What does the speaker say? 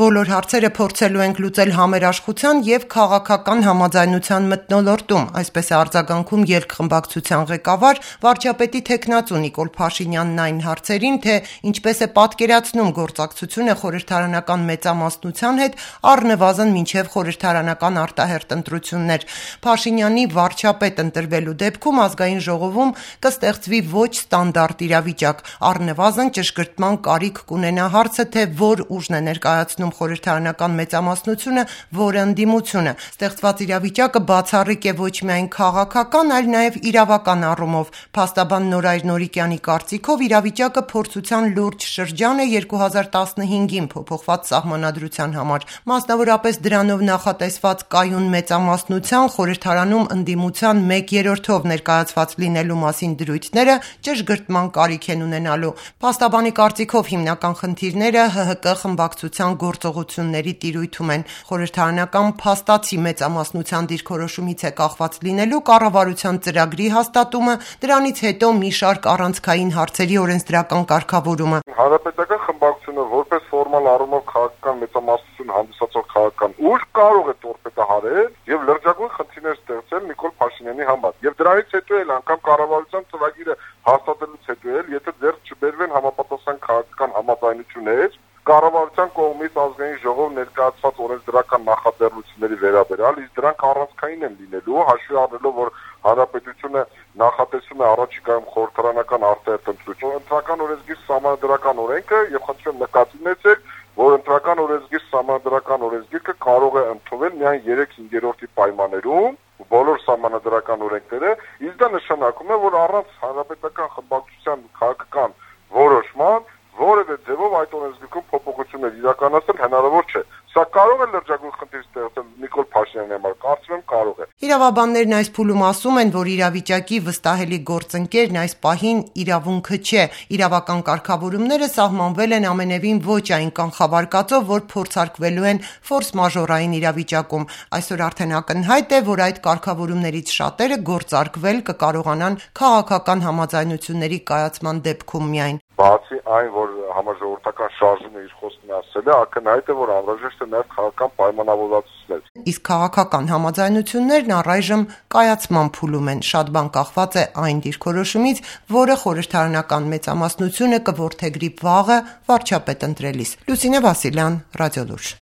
Բոլոր հարցերը փորձելու ենք լուծել համերաշխության եւ քաղաքական համաձայնության մթնոլորտում, այսպես է արձագանքում երկխմբակցության ղեկավար վարչապետի թեկնածու Նիկոլ Փաշինյանն այն հարցերին, թե ինչպես է պատկերացնում գործակցությունը խորհրդարանական մեծամասնության հետ առնվազն մինչև խորհրդարանական արտահերթ ընտրություններ։ Փաշինյանի վարչապետ ընտրվելու դեպքում ազգային ժողովում կստեղծվի ոչ ստանդարտ իրավիճակ, առնվազն ճշգրտման կարիք կունենա հարցը, թե որ ուժն է ներկայացնում խորհրդարանական մեծամասնությունը, որը ընդդիմությունը։ Ստեղծված իրավիճակը բացառիկ է ոչ միայն քաղաքական, այլ նաև իրավական առումով։ Փաստաբան Նորայր Նորիկյանի կարծիքով իրավիճակը փորձության լուրջ շրջան է 2015-ին փոփոխված սահմանադրության համար։ Մասնավորապես դրանով նախատեսված կայուն մեծամասնության խորհրդարանում ընդդիմության 1/3-ով ներկայացված լինելու մասին դրույթները ճշգրտման կարիք են ունենալու։ Փաստաբանի կարծիքով հիմնական խնդիրները ՀՀԿ խմբակցության գործողությունների տիրույթում են։ Խորհրդարանական փաստացի մեծամասնության դիրքորոշումից է կախված լինելու կառավարության ծրագրի հաստատումը, դրանից հետո մի շարք առանցքային հարցերի օրենսդրական կարգավորումը։ Հանրապետական խմբակցությունը որպես ֆորմալ առումով քաղաքական մեծամասնություն հանդիսացող քաղաքական ուժ կարող է տորպեդահարել եւ լրջագույն խնդիրներ ստեղծել Նիկոլ Փաշինյանի համար։ Եվ դրանից հետո էլ անգամ կառավարության ծրագիրը հաստատելուց հետո էլ, եթե ձեռք չբերվեն համապատասխան քաղաքական համաձայնություններ, կառավարության կողմից ազգային ժողով ներկայացված օրենսդրական նախաձեռնությունների վերաբերյալ, իսկ դրանք առանցքային են լինելու, հաշվի առնելով, որ հանրապետությունը նախատեսում է առաջիկայում խորհրդարանական արտահերթ ընտրություն, ընտրական օրենսգիր սահմանադրական օրենքը եւ խնդրում նկատի ունեցեք, որ ընտրական օրենսգիր սահմանադրական օրենսգիրքը կարող է ընդունվել միայն 3/5 պայմաններում բոլոր սահմանադրական օրենքները, իսկ դա նշանակում է, որ առանց հանրապետական խմբակցության քաղաքական որոշման որևէ ձևով այդ օրենսգրքում փոփոխություններ իրականացնել հնարավոր չէ։ Սա կարող է լրջագույն խնդիր ստեղծել Նիկոլ Փաշինյանի համար, կարծում եմ կարող է։ Իրավաբաններն այս փուլում ասում են, որ իրավիճակի վստահելի գործընկերն այս պահին իրավունքը չէ։ Իրավական կարգավորումները սահմանվել են ամենևին ոչ այն կանխավարկածով, որ փորձարկվելու են ֆորս-մաժորային իրավիճակում։ Այսօր արդեն ակնհայտ է, որ այդ կարգավորումներից շատերը գործարկվել կկարողանան քաղաքական համաձայնությունների կայացման դեպքում միայն։ Բացի այն, որ համաժողովրդական շարժումը իր խոսքն ասել է, ակնհայտ է, որ անհրաժեշտ է նաև քաղաքական պայմանավորվածություններ։ Իսկ քաղաքական համաձայնություններն առայժմ կայացման փուլում են։ Շատ բան կախված է այն դիրքորոշումից, որը խորհրդարանական մեծամասնությունը կորդեգրի վաղը վարչապետ ընտրելիս։ Լուսինե Վասիլյան, Ռադիոլուրջ։